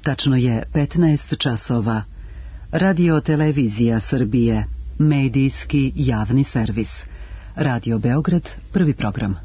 Tačno je 15 časova. Radio Televizija Srbije, medijski javni servis. Radio Beograd, prvi program.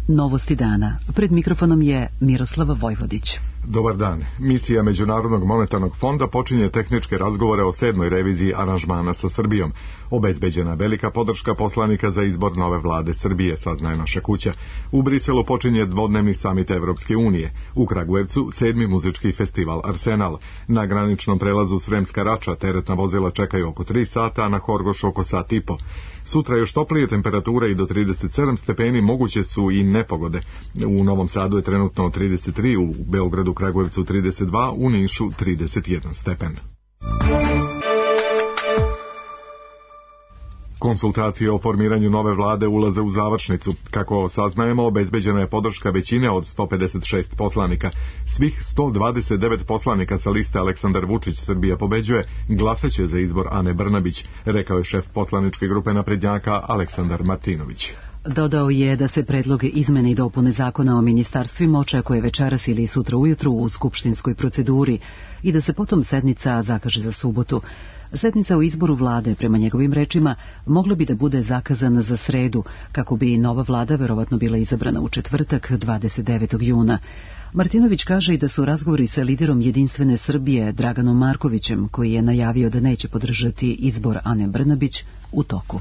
Novosti dana. Pred mikrofonom je Miroslava Vojvodić. Dobar dan. Misija Međunarodnog monetarnog fonda počinje tehničke razgovore o 7. reviziji aranžmana sa Srbijom. Obezbeđena velika podrška poslanika za izbor nove vlade Srbije, saznaje naša kuća. U Briselu počinje dvodnevni samit Evropske unije. U Kragujevcu 7. muzički festival Arsenal. Na graničnom prelazu Sremska Rača teretna vozila čekaju oko 3 sata, a na Horgošu oko sat i po. Sutra još toplije temperature i do 37 stepeni, moguće su i nepogode. U Novom Sadu je trenutno 33, u Beogradu, Kragujevcu 32, u Nišu 31 stepen. Konsultacije o formiranju nove vlade ulaze u završnicu. Kako saznajemo, obezbeđena je podrška većine od 156 poslanika. Svih 129 poslanika sa liste Aleksandar Vučić Srbija pobeđuje glasaće za izbor Ane Brnabić, rekao je šef poslaničke grupe naprednjaka Aleksandar Martinović. Dodao je da se predlog izmene i dopune zakona o ministarstvima očekuje večeras ili sutra ujutru u skupštinskoj proceduri i da se potom sednica zakaže za subotu. Sednica o izboru vlade, prema njegovim rečima, mogla bi da bude zakazana za sredu, kako bi nova vlada verovatno bila izabrana u četvrtak, 29. juna. Martinović kaže i da su razgovori sa liderom Jedinstvene Srbije, Draganom Markovićem, koji je najavio da neće podržati izbor Ane Brnabić, u toku.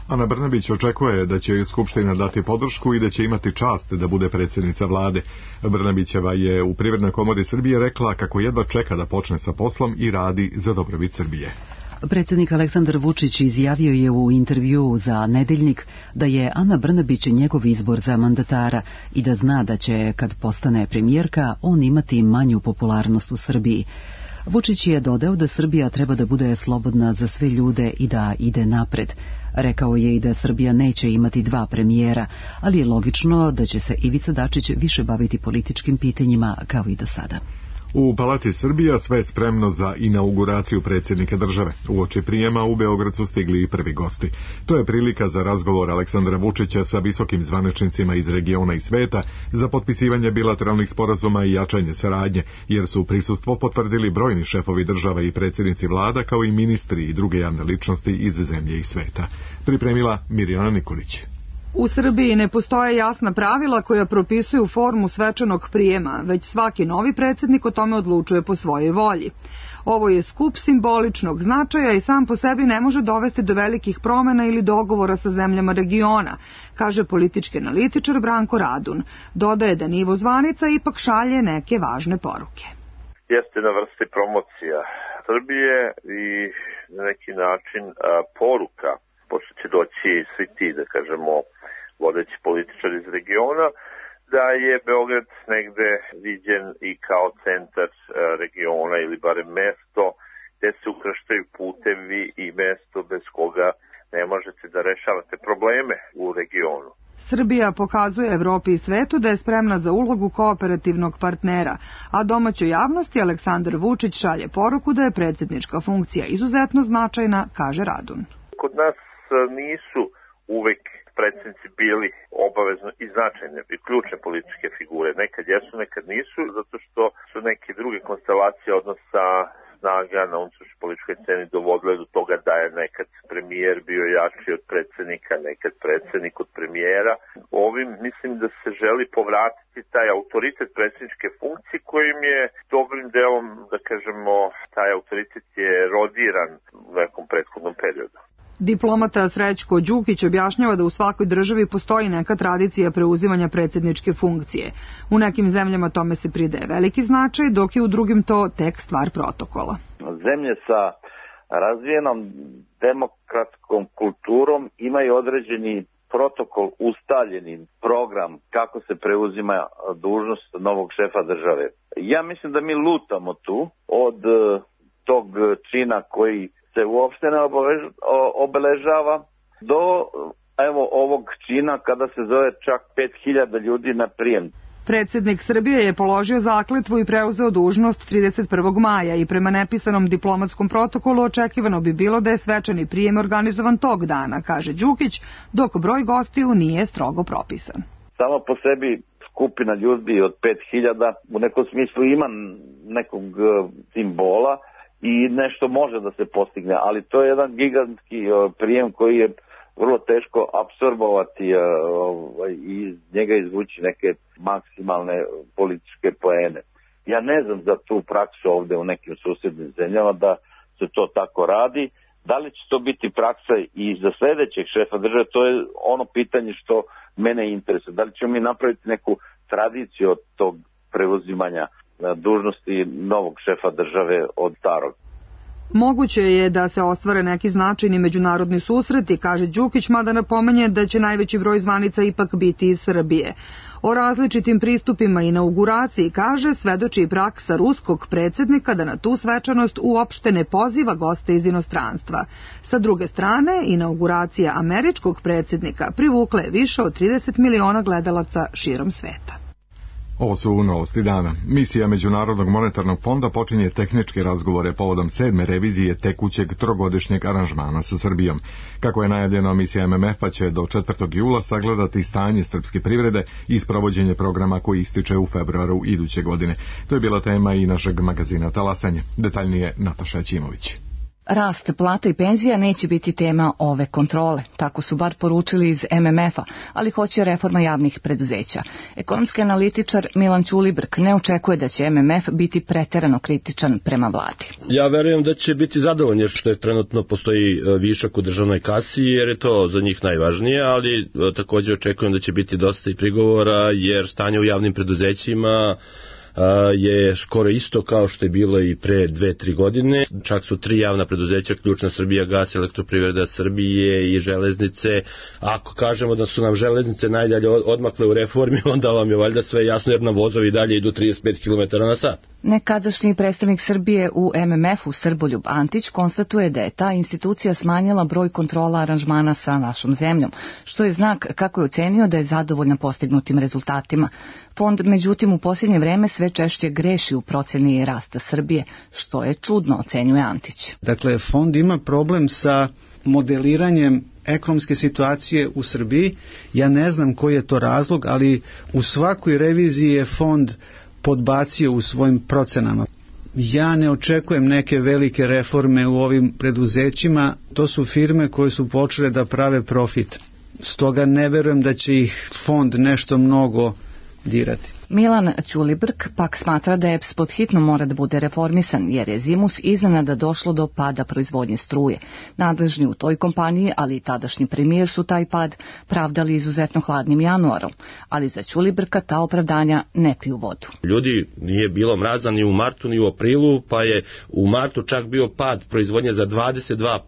Ana Brnabić očekuje da će Skupština dati podršku i da će imati čast da bude predsjednica vlade. Brnabićeva je u Privrednoj komori Srbije rekla kako jedva čeka da počne sa poslom i radi za dobrobit Srbije. Predsjednik Aleksandar Vučić izjavio je u intervjuu za Nedeljnik da je Ana Brnabić njegov izbor za mandatara i da zna da će, kad postane premijerka, on imati manju popularnost u Srbiji. Vučić je dodao da Srbija treba da bude slobodna za sve ljude i da ide napred. Rekao je i da Srbija neće imati 2 premijera, ali je logično da će se Ivica Dačić više baviti političkim pitanjima kao i do sada. U Palati Srbija sve je spremno za inauguraciju predsjednika države. Uoči prijema u Beograd su stigli i prvi gosti. To je prilika za razgovor Aleksandra Vučića sa visokim zvaničnicima iz regiona i sveta za potpisivanje bilateralnih sporazuma i jačanje saradnje, jer su prisustvo potvrdili brojni šefovi država i predsjednici vlada, kao i ministri i druge javne ličnosti iz zemlje i sveta. Pripremila Mirjana Nikolić. U Srbiji ne postoje jasna pravila koja propisuju formu svečanog prijema, već svaki novi predsjednik o tome odlučuje po svojoj volji. Ovo je skup simboličnog značaja i sam po sebi ne može dovesti do velikih promjena ili dogovora sa zemljama regiona, kaže politički analitičar Branko Radun. Dodaje da nivo zvanica ipak šalje neke važne poruke. Jeste na vrsti promocija Srbije i na neki način poruka, pošto će doći svi ti, da kažemo, vodeći političari iz regiona, da je Beograd negde viđen i kao centar regiona ili barem mesto gde se ukrštaju putevi i mesto bez koga ne možete da rešavate probleme u regionu. Srbija pokazuje Evropi i svetu da je spremna za ulogu kooperativnog partnera, a domaćoj javnosti Aleksandar Vučić šalje poruku da je predsjednička funkcija izuzetno značajna, kaže Radun. Kod nas nisu uvek predsjednici bili obavezno i značajne i ključne političke figure. Nekad jesu, nekad nisu, zato što su neke druge konstelacije odnosa snaga na unutrašnjoj političkoj sceni dovodile do toga da je nekad premijer bio jači od predsjednika, nekad predsjednik od premijera. Ovim mislim da se želi povratiti taj autoritet predsjedničke funkcije kojim je dobrim delom, da kažemo, taj autoritet je rodiran u nekom prethodnom periodu. Diplomata Srećko Đukić objašnjava da u svakoj državi postoji neka tradicija preuzimanja predsjedničke funkcije. U nekim zemljama tome se pridaje veliki značaj, dok je u drugim to tek stvar protokola. Zemlje sa razvijenom demokratskom kulturom imaju određeni protokol, ustaljeni program kako se preuzima dužnost novog šefa države. Ja mislim da mi lutamo tu od tog čina koji se uopšte ne obeležava do ovog čina kada se zove čak 5000 ljudi na prijem. Predsjednik Srbije je položio zakletvu i preuzeo dužnost 31. maja i prema nepisanom diplomatskom protokolu očekivano bi bilo da je svečani prijem organizovan tog dana, kaže Đukić, dok broj gostiju nije strogo propisan. Samo po sebi skupina ljudi od 5000 u nekom smislu ima nekog simbola i nešto može da se postigne, ali to je jedan gigantski prijem koji je vrlo teško apsorbovati i iz njega izvući neke maksimalne političke poene. Ja ne znam za tu praksu ovde u nekim susednim zemljama da se to tako radi. Da li će to biti praksa i za sledećeg šefa države, to je ono pitanje što mene interesuje. Da li ćemo mi napraviti neku tradiciju od tog preuzimanja dužnosti novog šefa države od starog? Moguće je da se ostvare neki značajni međunarodni susreti, kaže Đukić, mada napominje da će najveći broj zvanica ipak biti iz Srbije. O različitim pristupima inauguraciji, kaže, svedoči i praksa ruskog predsjednika da na tu svečanost uopšte ne poziva goste iz inostranstva. Sa druge strane, inauguracija američkog predsjednika privukla je više od 30 miliona gledalaca širom sveta. Ovo su novosti dana. Misija Međunarodnog monetarnog fonda počinje tehničke razgovore povodom 7. revizije tekućeg trogodišnjeg aranžmana sa Srbijom. Kako je najavljeno, misija MMF-a će do 4. jula sagledati stanje srpske privrede i sprovođenje programa koji ističe u februaru iduće godine. To je bila tema i našeg magazina Talasanje. Detaljnije Nataša Ćimović. Rast plata i penzija neće biti tema ove kontrole, tako su bar poručili iz MMF-a, ali hoće reforma javnih preduzeća. Ekonomski analitičar Milan Ćulibrk ne očekuje da će MMF biti preterano kritičan prema vladi. Ja verujem da će biti zadovoljni što je trenutno postoji višak u državnoj kasi, jer je to za njih najvažnije, ali također očekujem da će biti dosta i prigovora, jer stanje u javnim preduzećima je skoro isto kao što je bilo i pre 2-3 godine. Čak su 3 javna preduzeća ključna, Srbijagas, Elektroprivreda Srbije i železnice. Ako kažemo da su nam železnice najdalje odmakle u reformi, onda vam je valjda sve jasno, jer nam vozovi dalje idu 35 km na sat. Nekadašnji predstavnik Srbije u MMF-u Srboljub Antić konstatuje da je ta institucija smanjila broj kontrola aranžmana sa našom zemljom, što je znak kako je ocenio da je zadovoljna postignutim rezultatima. Fond, međutim, u posljednje vreme sve češće greši u proceni rasta Srbije, što je čudno, ocenjuje Antić. Dakle, fond ima problem sa modeliranjem ekonomske situacije u Srbiji. Ja ne znam koji je to razlog, ali u svakoj reviziji je fond podbacio u svojim procenama. Ja ne očekujem neke velike reforme u ovim preduzećima, to su firme koje su počele da prave profit. Stoga ne verujem da će ih fond nešto mnogo dirati. Milan Ćulibrk pak smatra da EPS pod hitno mora da bude reformisan, jer je zimus iznenada došlo do pada proizvodnje struje. Nadležni u toj kompaniji, ali i tadašnji premijer su taj pad pravdali izuzetno hladnim januarom, ali za Ćulibrka ta opravdanja ne piju vodu. Ljudi, nije bilo mraza ni u martu ni u aprilu, pa je u martu čak bio pad proizvodnje za 22%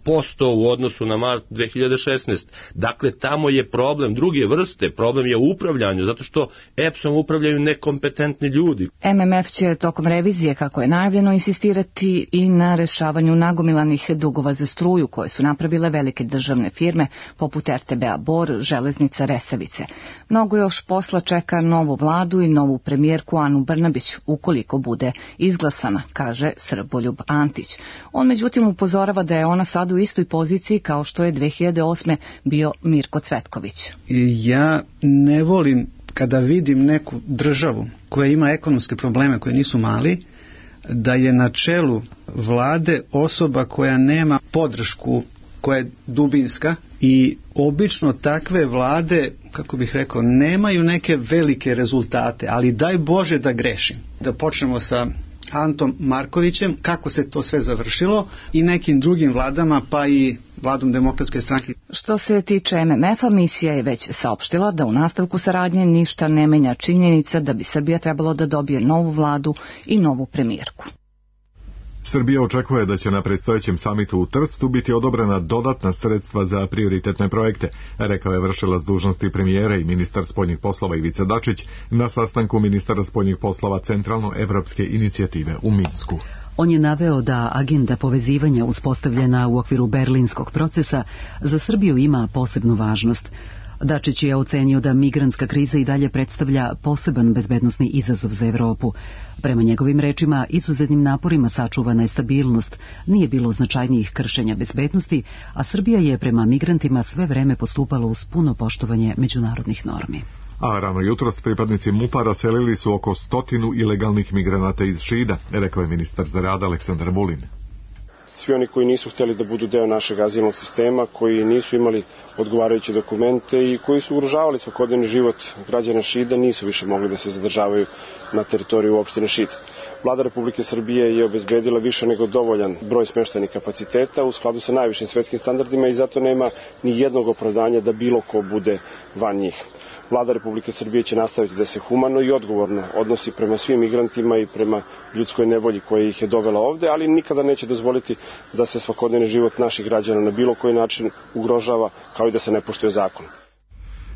u odnosu na mart 2016. Dakle, tamo je problem druge vrste, problem je u upravljanju, zato što EPS-om upravljaju nekompetentni ljudi. MMF će tokom revizije, kako je najavljeno, insistirati i na rešavanju nagomilanih dugova za struju koje su napravile velike državne firme poput RTB-a Bor, Železnica, Resavice. Mnogo još posla čeka novu vladu i novu premijerku Anu Brnabić, ukoliko bude izglasana, kaže Srboljub Antić. On međutim upozorava da je ona sad u istoj poziciji kao što je 2008. bio Mirko Cvetković. Ja ne volim kada vidim neku državu koja ima ekonomske probleme koje nisu mali, da je na čelu vlade osoba koja nema podršku, koja je dubinska, i obično takve vlade, kako bih rekao, nemaju neke velike rezultate, ali daj Bože da grešim. Da počnemo sa Antom Markovićem, kako se to sve završilo, i nekim drugim vladama, pa i vladom Demokratske stranke. Što se tiče MMF-a, misija je već saopštila da u nastavku saradnje ništa ne menja činjenica da bi Srbija trebalo da dobije novu vladu i novu premijerku. Srbija očekuje da će na predstojećem samitu u Trstu biti odobrena dodatna sredstva za prioritetne projekte, rekao je vršilac dužnosti premijera i ministar spoljnih poslova Ivica Dačić na sastanku ministara spoljnih poslova Centralno-evropske inicijative u Minsku. On je naveo da agenda povezivanja uspostavljena u okviru berlinskog procesa za Srbiju ima posebnu važnost. Dačić je ocenio da migrantska kriza i dalje predstavlja poseban bezbednosni izazov za Evropu. Prema njegovim rečima, izuzetnim naporima sačuvana je stabilnost, nije bilo značajnijih kršenja bezbednosti, a Srbija je prema migrantima sve vreme postupala uz puno poštovanje međunarodnih normi. A rano jutros pripadnici MUP-a raselili su oko 100 ilegalnih migranata iz Šida, rekao je ministar za rad Aleksandar Vulin. Svi oni koji nisu htjeli da budu deo našeg azilnog sistema, koji nisu imali odgovarajuće dokumente i koji su ugrožavali svakodnevni život građana Šida, nisu više mogli da se zadržavaju na teritoriju opštine Šid. Vlada Republike Srbije je obezbedila više nego dovoljan broj smeštajnih kapaciteta u skladu sa najvišim svetskim standardima i zato nema ni jednog opravdanja da bilo ko bude van njih. Vlada Republike Srbije će nastaviti da se humano i odgovorno odnosi prema svim migrantima i prema ljudskoj nevolji koja ih je dovela ovde, ali nikada neće dozvoliti da se svakodnevni život naših građana na bilo koji način ugrožava, kao i da se ne poštuje zakon.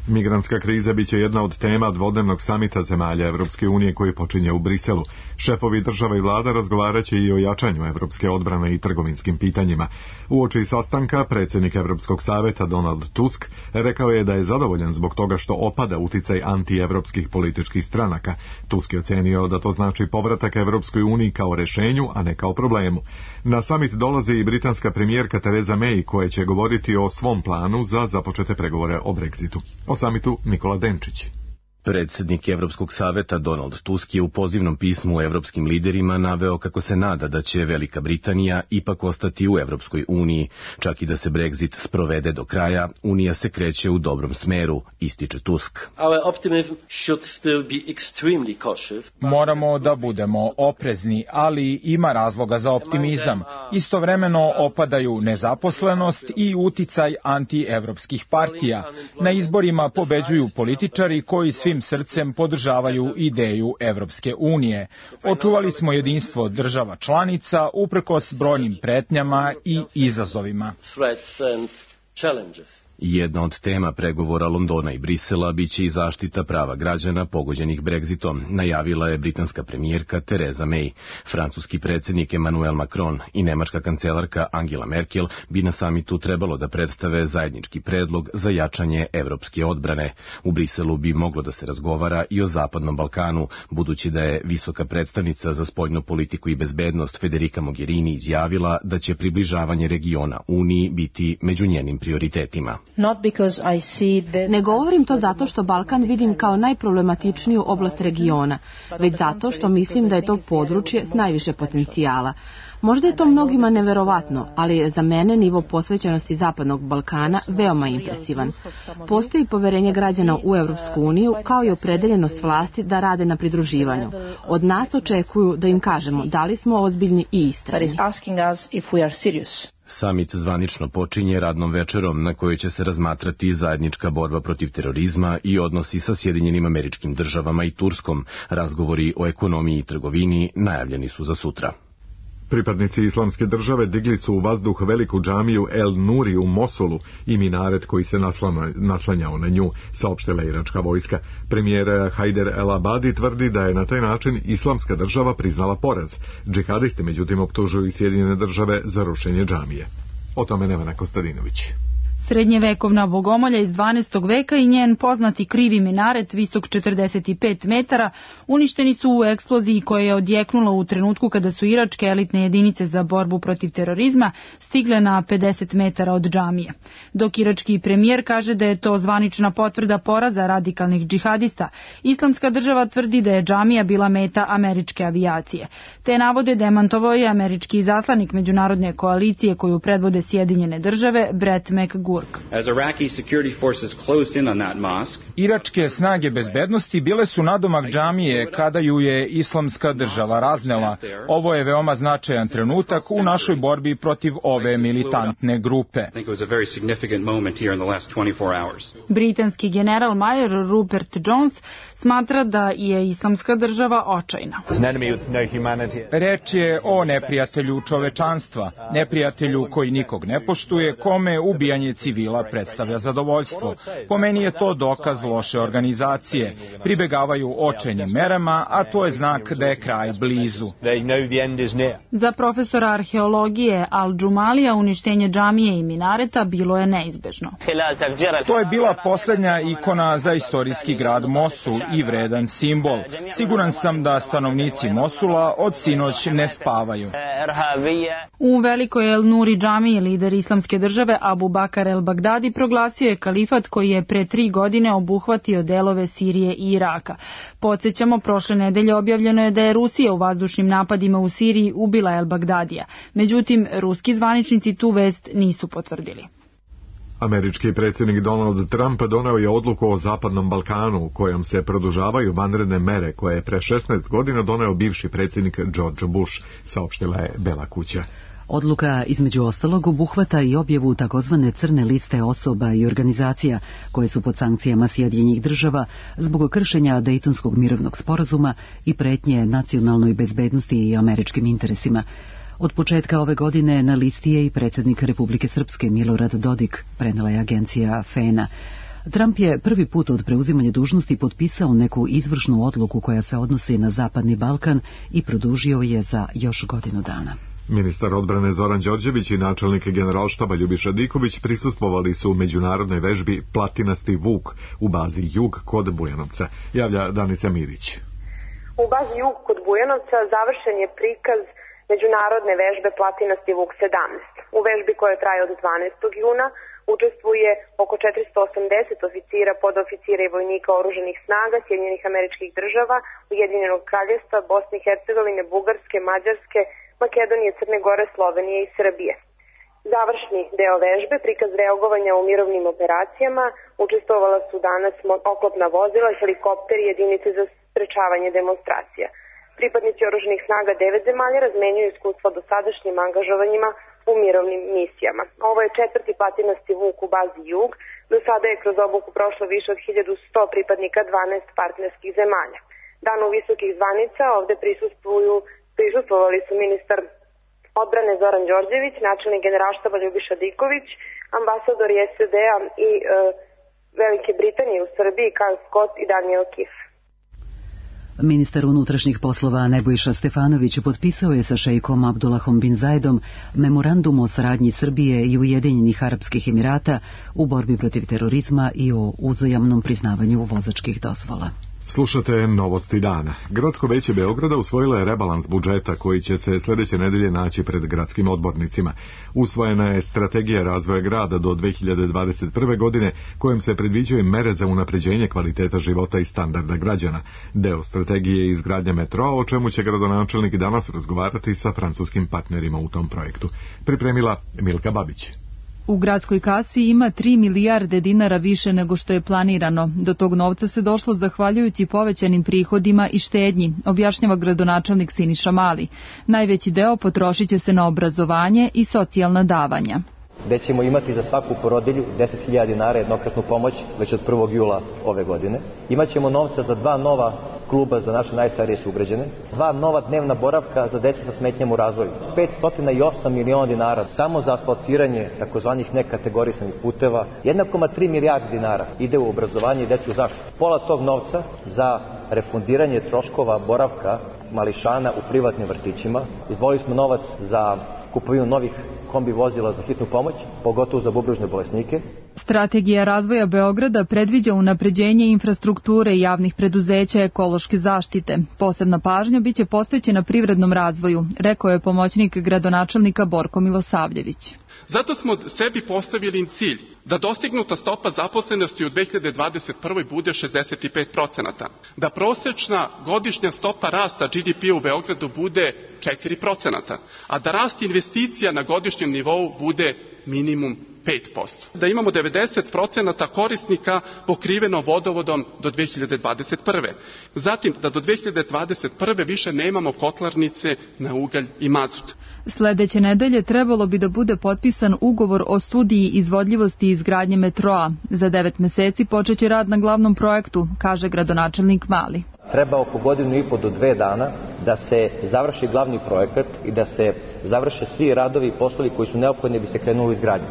Migrantska kriza biće jedna od tema dvodnevnog samita zemalja Evropske unije koji počinje u Briselu. Šefovi država i vlada razgovaraće i o jačanju evropske odbrane i trgovinskim pitanjima. Uoči sastanka predsjednik Evropskog saveta Donald Tusk rekao je da je zadovoljan zbog toga što opada uticaj antievropskih političkih stranaka. Tusk je ocenio da to znači povratak Evropskoj uniji kao rešenju, a ne kao problemu. Na samit dolazi i britanska premijerka Theresa May koja će govoriti o svom planu za započete pregovore o Brexitu. O samitu Nikola Denčić. Predsjednik Evropskog saveta Donald Tusk je u pozivnom pismu evropskim liderima naveo kako se nada da će Velika Britanija ipak ostati u Evropskoj uniji. Čak i da se Brexit sprovede do kraja, Unija se kreće u dobrom smeru, ističe Tusk. Moramo da budemo oprezni, ali ima razloga za optimizam. Istovremeno opadaju nezaposlenost i uticaj antievropskih partija. Na izborima pobeđuju političari koji svim srcem podržavaju ideju Evropske unije. Očuvali smo jedinstvo država članica uprkos brojnim pretnjama i izazovima. Jedna od tema pregovora Londona i Brisela biće i zaštita prava građana pogođenih Brexitom, najavila je britanska premijerka Theresa May. Francuski predsjednik Emmanuel Macron i nemačka kancelarka Angela Merkel bi na samitu trebalo da predstave zajednički predlog za jačanje evropske odbrane. U Briselu bi moglo da se razgovara i o Zapadnom Balkanu, budući da je visoka predstavnica za spoljnu politiku i bezbednost Federica Mogherini izjavila da će približavanje regiona Uniji biti među njenim prioritetima. Ne govorim to zato što Balkan vidim kao najproblematičniju oblast regiona, već zato što mislim da je to područje s najviše potencijala. Možda je to mnogima neverovatno, ali je za mene nivo posvećenosti Zapadnog Balkana veoma impresivan. Postoji poverenje građana u Evropsku uniju kao i opredeljenost vlasti da rade na pridruživanju. Od nas očekuju da im kažemo da li smo ozbiljni i istrajni. Samit zvanično počinje radnom večerom na kojoj će se razmatrati zajednička borba protiv terorizma i odnosi sa Sjedinjenim Američkim Državama i Turskom. Razgovori o ekonomiji i trgovini najavljeni su za sutra. Pripadnici Islamske države digli su u vazduh veliku džamiju El Nuri u Mosulu i minaret koji se naslanjao na nju, saopštila iračka vojska. Premijer Hajder El Abadi tvrdi da je na taj način Islamska država priznala poraz. Džihadisti međutim optužuju i Sjedinjene države za rušenje džamije. O tome Nevena Kostadinović. Srednjevekovna bogomolja iz 12. veka i njen poznati krivi minaret, visok 45 metara, uništeni su u eksploziji koja je odjeknula u trenutku kada su iračke elitne jedinice za borbu protiv terorizma stigle na 50 metara od džamije. Dok irački premijer kaže da je to zvanična potvrda poraza radikalnih džihadista, Islamska država tvrdi da je džamija bila meta američke avijacije. Te navode demantovao je američki izaslanik međunarodne koalicije koju predvode Sjedinjene države, Brett McGurk. Iračke snage bezbednosti bile su nadomak džamije kada ju je Islamska država raznela. Ovo je veoma značajan trenutak u našoj borbi protiv ove militantne grupe. Britanski general major Rupert Jones smatra da je Islamska država očajna. Reč je o neprijatelju čovečanstva, neprijatelju koji nikog ne poštuje, kome ubijanje civila predstavlja zadovoljstvo. Po meni je to dokaz loše organizacije. Pribegavaju očajnim merama, a to je znak da je kraj blizu. Za profesora arheologije Al-Džumalija uništenje džamije i minareta bilo je neizbežno. To je bila poslednja ikona za istorijski grad Mosul i vredan simbol. Siguran sam da stanovnici Mosula od sinoć ne spavaju. U velikoj El Nuri džamiji lider islamske države Abu Bakar el-Bagdadi proglasio je kalifat koji je pre 3 godine obuhvatio delove Sirije i Iraka. Podsjećamo, prošle nedelje objavljeno je da je Rusija u vazdušnim napadima u Siriji ubila el-Bagdadija. Međutim, ruski zvaničnici tu vest nisu potvrdili. Američki predsjednik Donald Trump doneo je odluku o Zapadnom Balkanu u kojom se produžavaju vanredne mere koje je pre 16 godina doneo bivši predsjednik George Bush, saopštila je Bela kuća. Odluka između ostalog obuhvata i objavu takozvane crne liste osoba i organizacija koje su pod sankcijama Sjedinjenih država zbog kršenja Dejtonskog mirovnog sporazuma i pretnje nacionalnoj bezbednosti i američkim interesima. Od početka ove godine na listi je i predsjednik Republike Srpske Milorad Dodik, prenela je agencija FENA. Trump je prvi put od preuzimanja dužnosti potpisao neku izvršnu odluku koja se odnosi na Zapadni Balkan i produžio je za još godinu dana. Ministar odbrane Zoran Đorđević i načelnik generalštaba Ljubiša Diković prisustvovali su u međunarodnoj vežbi Platinasti Vuk u bazi Jug kod Bujanovca, javlja Danica Mirić. U bazi Jug kod Bujanovca završen je prikaz međunarodne vežbe Platinasti Vuk 17. U vežbi koja traje od 12. juna učestvuje oko 480 oficira, podoficira i vojnika oružanih snaga Sjedinjenih Američkih Država, Ujedinjenog Kraljevstva, Bosne i Hercegovine, Bugarske, Mađarske, Makedonije, Crne Gore, Slovenije i Srbije. Završni deo vežbe, prikaz reagovanja u mirovnim operacijama, učestvovala su danas oklopna vozila, helikopteri i jedinice za sprečavanje demonstracija. Pripadnici oružanih snaga 9 zemalja razmenjuju iskustva dosadašnjim angažovanjima u mirovnim misijama. Ovo je 4. Platinasti Vuk u bazi Jug. Do sada je kroz obuku prošlo više od 1100 pripadnika 12 partnerskih zemalja. Danu visokih zvanica ovde prisustvovali su ministar odbrane Zoran Đorđević, načelnik generalštaba Ljubiša Diković, ambasador SAD-a i Velike Britanije u Srbiji Kyle Scott i Daniel Kif. Ministar unutrašnjih poslova Nebojša Stefanović potpisao je sa šejkom Abdullahom bin Zaidom memorandum o saradnji Srbije i Ujedinjenih Arapskih Emirata u borbi protiv terorizma i o uzajamnom priznavanju vozačkih dozvola. Slušate Novosti dana. Gradsko veće Beograda usvojilo je rebalans budžeta koji će se sljedeće nedelje naći pred gradskim odbornicima. Usvojena je strategija razvoja grada do 2021. godine kojom se predviđaju mere za unapređenje kvaliteta života i standarda građana. Deo strategije je izgradnja metroa, o čemu će gradonačelnik danas razgovarati sa francuskim partnerima u tom projektu. Pripremila Milka Babić. U gradskoj kasi ima 3 milijarde dinara više nego što je planirano. Do tog novca se došlo zahvaljujući povećanim prihodima i štednji, objašnjava gradonačelnik Siniša Mali. Najveći deo potrošit će se na obrazovanje i socijalna davanja. Gde ćemo imati za svaku porodilju 10.000 dinara jednokratnu pomoć već od 1. jula ove godine. Imaćemo novca za 2 nova kluba za naše najstarije sugrađane, 2 nova dnevna boravka za decu sa smetnjama u razvoju, 508 miliona dinara samo za asfaltiranje takozvanih nekategorisanih puteva, 1,3 milijarde dinara ide u obrazovanje i dečju zaštitu. Pola tog novca za refundiranje troškova boravka mališana u privatnim vrtićima. Izdvojili smo novac za kupovinu novih kombi vozila za hitnu pomoć, pogotovo za bubrežne bolesnike. Strategija razvoja Beograda predviđa unapređenje infrastrukture i javnih preduzeća ekološke zaštite. Posebna pažnja biće posvećena privrednom razvoju, rekao je pomoćnik gradonačelnika Borko Milosavljević. Zato smo sebi postavili cilj da dostignuta stopa zaposlenosti u 2021. bude 65%, da prosečna godišnja stopa rasta GDP u Beogradu bude 4%, a da rast investicija na godišnjem nivou bude minimum 5%. Da imamo 90% korisnika pokriveno vodovodom do 2021. Zatim da do 2021. više nemamo kotlarnice na ugalj i mazut. Sledeće nedelje trebalo bi da bude potpisan ugovor o studiji izvodljivosti izgradnje metroa. Za 9 meseci počeće rad na glavnom projektu, kaže gradonačelnik Mali. Treba oko 1,5 do 2 dana da se završi glavni projekat i da se završe svi radovi i poslovi koji su neophodni da bi se krenulo u izgradnju.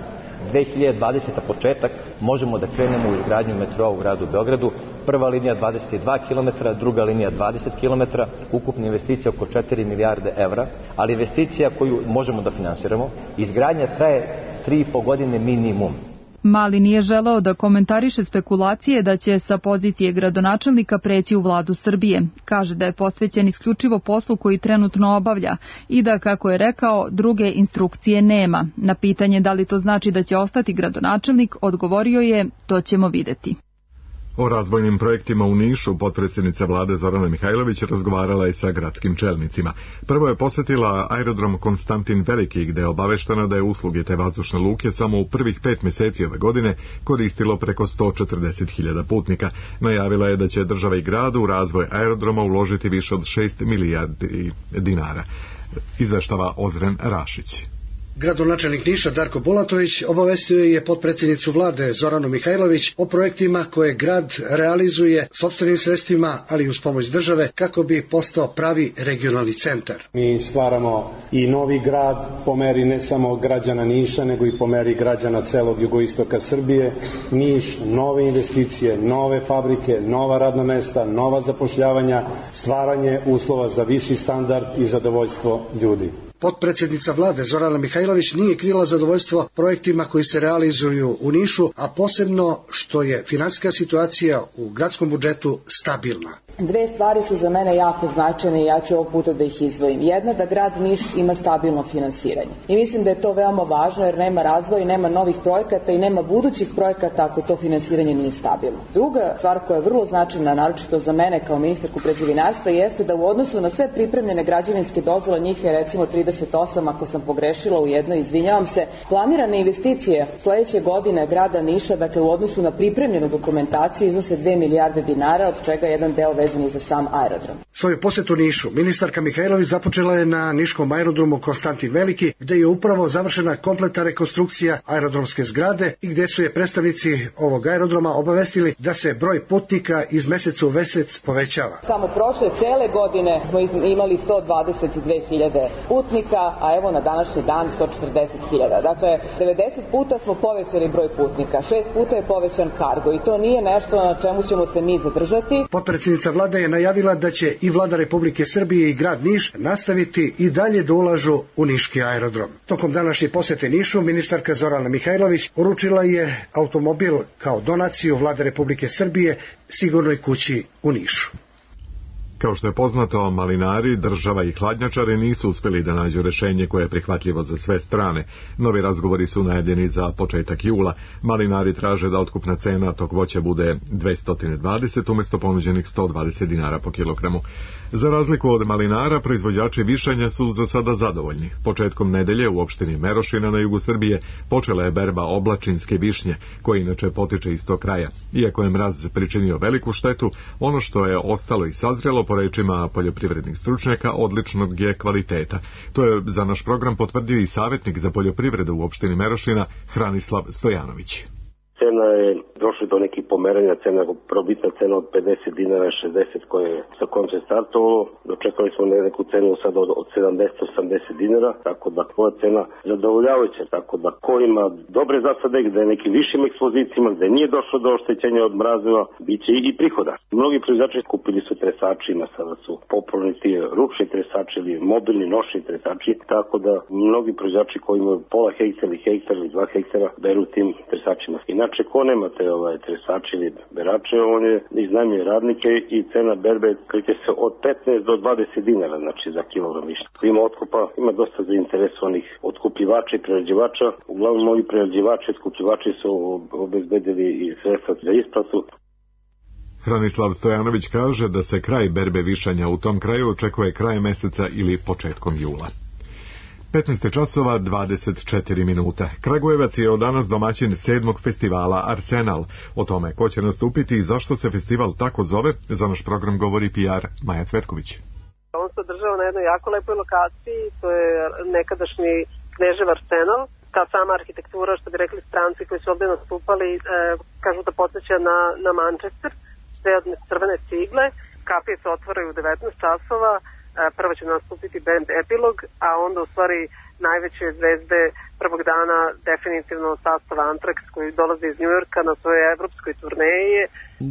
2020. početak možemo da krenemo u izgradnju metroa u gradu Beogradu. Prva linija 22 km, druga linija 20 km, ukupna investicija oko 4 milijarde evra, ali investicija koju možemo da finansiramo, izgradnja traje 3,5 godine minimum. Mali nije želeo da komentariše spekulacije da će sa pozicije gradonačelnika preći u vladu Srbije. Kaže da je posvećen isključivo poslu koji trenutno obavlja i da, kako je rekao, druge instrukcije nema. Na pitanje da li to znači da će ostati gradonačelnik, odgovorio je: to ćemo videti. O razvojnim projektima u Nišu potpredsjednica vlade Zorana Mihajlović razgovarala je sa gradskim čelnicima. Prvo je posjetila aerodrom Konstantin Veliki, gde je obaveštena da je usluge te vazdušne luke samo u prvih 5 mjeseci ove godine koristilo preko 140.000 putnika. Najavila je da će država i grad u razvoj aerodroma uložiti više od 6 milijardi dinara. Izveštava Ozren Rašić. Gradonačelnik Niša Darko Bulatović obavestio je potpredsjednicu vlade Zoranu Mihajlović o projektima koje grad realizuje sopstvenim sredstvima, ali i uz pomoć države, kako bi postao pravi regionalni centar. Mi stvaramo i novi grad po meri ne samo građana Niša, nego i po meri građana celog jugoistoka Srbije. Niš, nove investicije, nove fabrike, nova radna mesta, nova zapošljavanja, stvaranje uslova za viši standard i zadovoljstvo ljudi. Potpredsjednica vlade Zorana Mihajlović nije krila zadovoljstvo projektima koji se realizuju u Nišu, a posebno što je finansijska situacija u gradskom budžetu stabilna. Dve stvari su za mene jako značajne i ja ću ovog puta da ih izdvojim. Jedna, da grad Niš ima stabilno finansiranje. I mislim da je to veoma važno jer nema razvoja, nema novih projekata i nema budućih projekata ako to finansiranje nije stabilno. Druga stvar koja je vrlo značajna, naročito za mene kao ministarku građevinarstva, jeste da u odnosu na sve pripremljene građevinske dozvole, njih je recimo 38, ako sam pogrešila u jednoj, izvinjavam se, planirane investicije sledeće godine grada Niša, dakle u odnosu na pripremljenu dokumentaciju, iznose 2 milijarde dinara, od čega jedan deo vezan za sam aerodrom. Svoju posjetu Nišu ministarka Mihajlović započela je na niškom aerodromu Konstantin Veliki, gde je upravo završena kompletna rekonstrukcija aerodromske zgrade i gde su je predstavnici ovog aerodroma obavestili da se broj putnika iz meseca u mesec povećava. Samo prošle cele godine smo imali 122.000 putnika, a evo na današnji dan 140.000. Dakle, 90 puta smo povećali broj putnika, 6 puta je povećan kargo i to nije nešto na čemu ćemo se mi zadržati. Potpredsjednica vlada je najavila da će i vlada Republike Srbije i grad Niš nastaviti i dalje da ulažu u niški aerodrom. Tokom današnje posete Nišu ministarka Zorana Mihajlović uručila je automobil kao donaciju vlade Republike Srbije Sigurnoj kući u Nišu. Kao što je poznato, malinari, država i hladnjačari nisu uspjeli da nađu rješenje koje je prihvatljivo za sve strane. Novi razgovori su najavljeni za početak jula. Malinari traže da otkupna cena tog voća bude 220 umjesto ponuđenih 120 dinara po kilogramu. Za razliku od malinara, proizvođači višanja su za sada zadovoljni. Početkom nedelje u opštini Merošina na jugu Srbije počela je berba oblačinske višnje, koja inače potiče iz tog kraja. Iako je mraz pričinio veliku štetu, ono što je ostalo i sazrelo, po rečima poljoprivrednih stručnjaka, odličnog je kvaliteta. To je za naš program potvrdio i savjetnik za poljoprivredu u opštini Merošina Hranislav Stojanović. Cena je došla do nekih pomeranja, probitna cena od 50 dinara, 60 koje je sa kojom se startovalo. Dočekali smo neku cenu sad od 70-80 dinara, tako da koja cena zadovoljavajuća. Tako da ko ima dobre zasade, gde je nekim višim ekspozicijama, gde nije došlo do oštećenja od mrazeva, bit će i prihoda. Mnogi proizvođači kupili su tresačima, sada su popularni ti ručni tresači ili mobilni nošni tresači, tako da mnogi proizvođači koji imaju pola hektara ili hektar ili 2 hektara beru tim tresačima. Inače, ko nemate tresači ili berače, on je iznajmljuje radnike i cena berbe kreće se od 15 do 20 dinara, znači za kilogram višnje. Ima otkupa, ima dosta zainteresovanih otkupljivača i prerađivača. Uglavnom, ovi prerađivači i otkupljivači su obezbedili i sredstva za isplatu. Hranislav Stojanović kaže da se kraj berbe višanja u tom kraju očekuje krajem meseca ili početkom jula. 15 časova 24 minuta. Kragujevac je od danas domaćin 7. festivala Arsenal. O tome ko će nastupiti i zašto se festival tako zove, za naš program govori PR Maja Cvetković. On se održava na jednoj jako lepoj lokaciji, to je nekadašnji Knežev Arsenal. Ta sama arhitektura, što bi rekli stranci koji su ovdje nastupali, kažu da podsjeća na Manchester, sve od crvene cigle. Kapije se otvaraju u 19 časova. prvo će nastupiti band Epilog, a onda u stvari najveće zvezde prvog dana definitivno sastav Anthrax koji dolaze iz Njujorka na svojoj evropskoj turneji.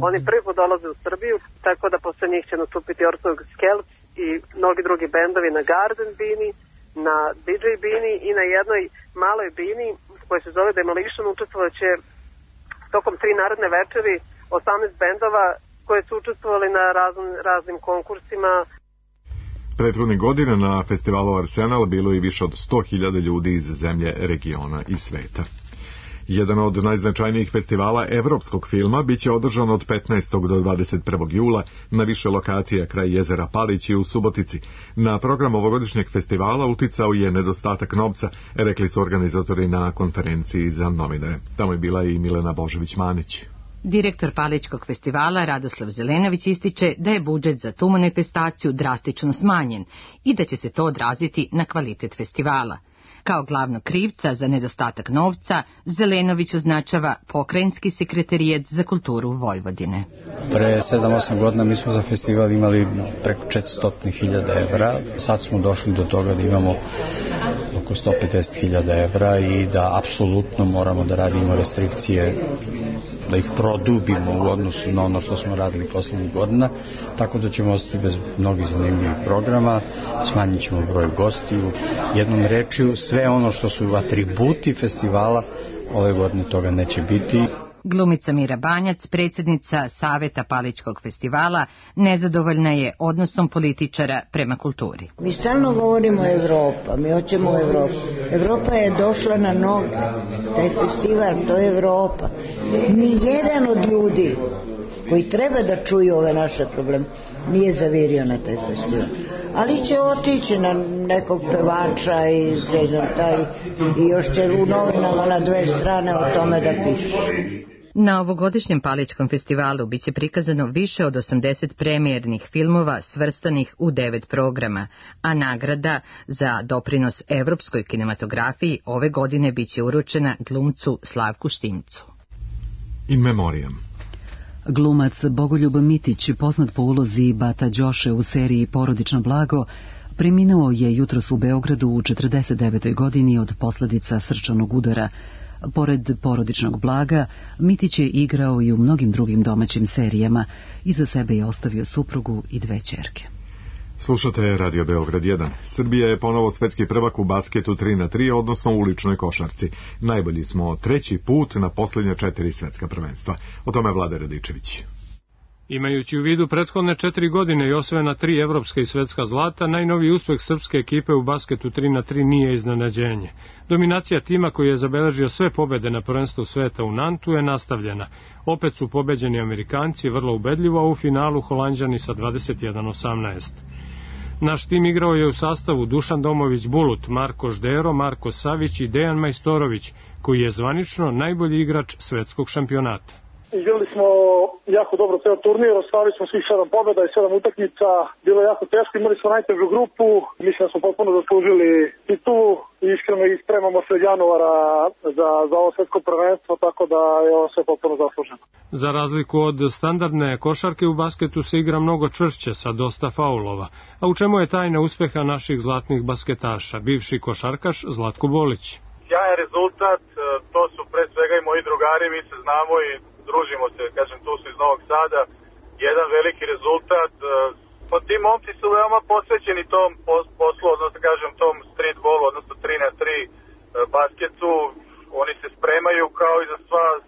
Oni prvi put dolaze u Srbiju, tako da posle njih će nastupiti Orthodox Skelts i mnogi drugi bendovi na Garden bini, na DJ bini i na jednoj maloj bini koja se zove Demolition. Učestvovaće tokom 3 naredne večeri 18 bendova koje su učestvovali na raznim konkursima. Prethodnih godina na festivalu Arsenal bilo je više od 100.000 ljudi iz zemlje, regiona i sveta. Jedan od najznačajnijih festivala evropskog filma biće održan od 15. do 21. jula na više lokacija kraj jezera Palić i u Subotici. Na program ovogodišnjeg festivala uticao je nedostatak novca, rekli su organizatori na konferenciji za novinare. Tamo je bila i Milena Božović-Manić. Direktor Palićkog festivala Radoslav Zelenović ističe da je budžet za tu manifestaciju drastično smanjen i da će se to odraziti na kvalitet festivala. Kao glavnog krivca za nedostatak novca, Zelenović označava Pokrajinski sekretarijat za kulturu Vojvodine. Pre 7-8 godina mi smo za festival imali preko 400.000 evra, sad smo došli do toga da imamo oko 150.000 evra i da apsolutno moramo da radimo restrikcije, da ih produbimo u odnosu na ono što smo radili poslednjih godina, tako da ćemo ostati bez mnogih zanimljivih programa, smanjit ćemo broj gostiju, jednom rečju sve ono što su atributi festivala ove godine toga neće biti. Glumica Mira Banjac, predsjednica Saveta Palićkog festivala, nezadovoljna je odnosom političara prema kulturi. Mi stalno govorimo Evropa, mi hoćemo Evropu. Evropa je došla na noge, taj festival, to je Evropa. Nijedan od ljudi koji treba da čuju ove naše probleme nije zavirio na taj festival. Ali će otići na nekog pevača i još će u novinama na 2 strane o tome da piše. Na ovogodišnjem Palićkom festivalu biće prikazano više od 80 premijernih filmova svrstanih u 9 programa, a nagrada za doprinos evropskoj kinematografiji ove godine biće uručena glumcu Slavku Štimcu. In memoriam. Glumac Bogoljub Mitić, poznat po ulozi Bata Đoše u seriji Porodično blago, preminuo je jutros u Beogradu u 49. godini od posljedica srčanog udara. Pored Porodičnog blaga, Mitić je igrao i u mnogim drugim domaćim serijama. Iza sebe je ostavio suprugu i 2 ćerke. Slušate Radio Beograd 1. Srbija je ponovo svetski prvak u basketu 3x3, odnosno u uličnoj košarci. Najbolji smo 3. put na posljednja 4 svetska prvenstva. O tome Vlada Radičević. Imajući u vidu prethodne 4 godine i osvojena 3 evropska i svetska zlata, najnoviji uspeh srpske ekipe u basketu 3x3 nije iznenađenje. Dominacija tima koji je zabeležio sve pobede na prvenstvu sveta u Nantu je nastavljena. Opet su pobeđeni Amerikanci vrlo ubedljivo, a u finalu Holanđani sa 21-18. Naš tim igrao je u sastavu Dušan Domović-Bulut, Marko Ždero, Marko Savić i Dejan Majstorović, koji je zvanično najbolji igrač svetskog šampionata. Igrali smo jako dobro ceo turnir, ostvarili smo svih 7 pobjeda i 7 utakmica, bilo je jako teško, imali smo najtežu grupu, mislim da smo potpuno zaslužili titulu i iskreno ispremamo se od januara za ovo svetsko prvenstvo, tako da je ovo sve potpuno zasluženo. Za razliku od standardne košarke u basketu se igra mnogo čvršće sa dosta faulova, a u čemu je tajna uspeha naših zlatnih basketaša, bivši košarkaš Zlatko Bolić. Sjajan rezultat, to su pre svega i moji drugari, mi se znamo i družimo se, kažem, tu su iz Novog Sada, jedan veliki rezultat. Ti momci su veoma posvećeni tom poslu, odnosno kažem tom streetballu, odnosno 3x3 basketu. Oni se spremaju kao i za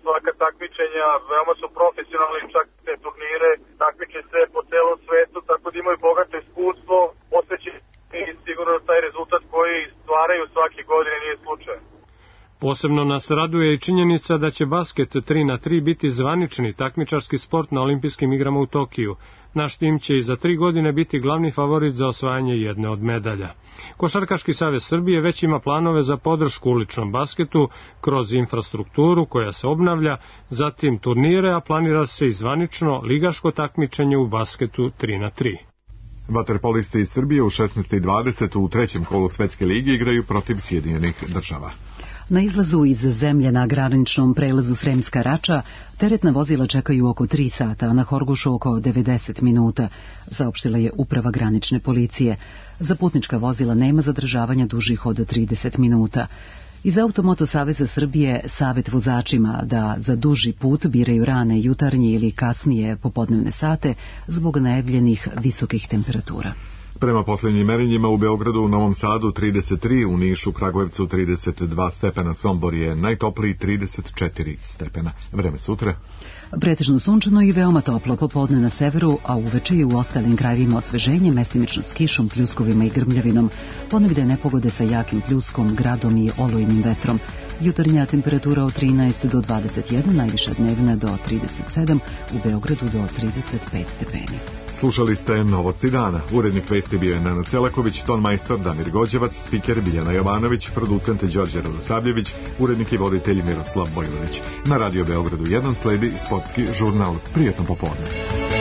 svaka takmičenja, veoma su profesionalni, čak te turnire, takmiče se po celom svetu, tako da imaju bogato iskustvo, posvećeni i sigurno da taj rezultat koji stvaraju svake godine nije slučaj. Posebno nas raduje i činjenica da će basket 3x3 biti zvanični takmičarski sport na olimpijskim igrama u Tokiju. Naš tim će i za 3 godine biti glavni favorit za osvajanje jedne od medalja. Košarkaški savez Srbije već ima planove za podršku uličnom basketu kroz infrastrukturu koja se obnavlja, zatim turnire, a planira se i zvanično ligaško takmičenje u basketu 3x3. Vaterpolisti iz Srbije u 16:20 u trećem kolu Svetske lige igraju protiv Sjedinjenih država. Na izlazu iz zemlje na graničnom prelazu Sremska Rača teretna vozila čekaju oko 3 sata, a na Horgošu oko 90 minuta, saopštila je uprava granične policije. Za putnička vozila nema zadržavanja dužih od 30 minuta. Iz Automoto saveza Srbije savet vozačima da za duži put biraju rane jutarnje ili kasnije popodnevne sate zbog najavljenih visokih temperatura. Prema posljednjim merenjima u Beogradu, u Novom Sadu 33, u Nišu, Kragujevcu 32 stepena, Sombor je najtopliji 34 stepena. Vreme sutra? Pretežno sunčano i veoma toplo, popodne na severu, a uveče i u ostalim krajevima osveženje, mestimično s kišom, pljuskovima i grmljavinom. Ponegde nepogode sa jakim pljuskom, gradom i olujnim vetrom. Jutarnja temperatura od 13 do 21, najviša dnevna do 37, u Beogradu do 35 stepeni. Slušali ste Novosti dana. Urednik vesti bio je Nenad Selaković, tonmajstor Damir Gođevac, spiker Biljana Jovanović, producent Đorđe Radosavljević, urednik i voditelj Miroslav Bojlović. Na Radio Beogradu 1 sledi sportski žurnal. Prijetno popodne.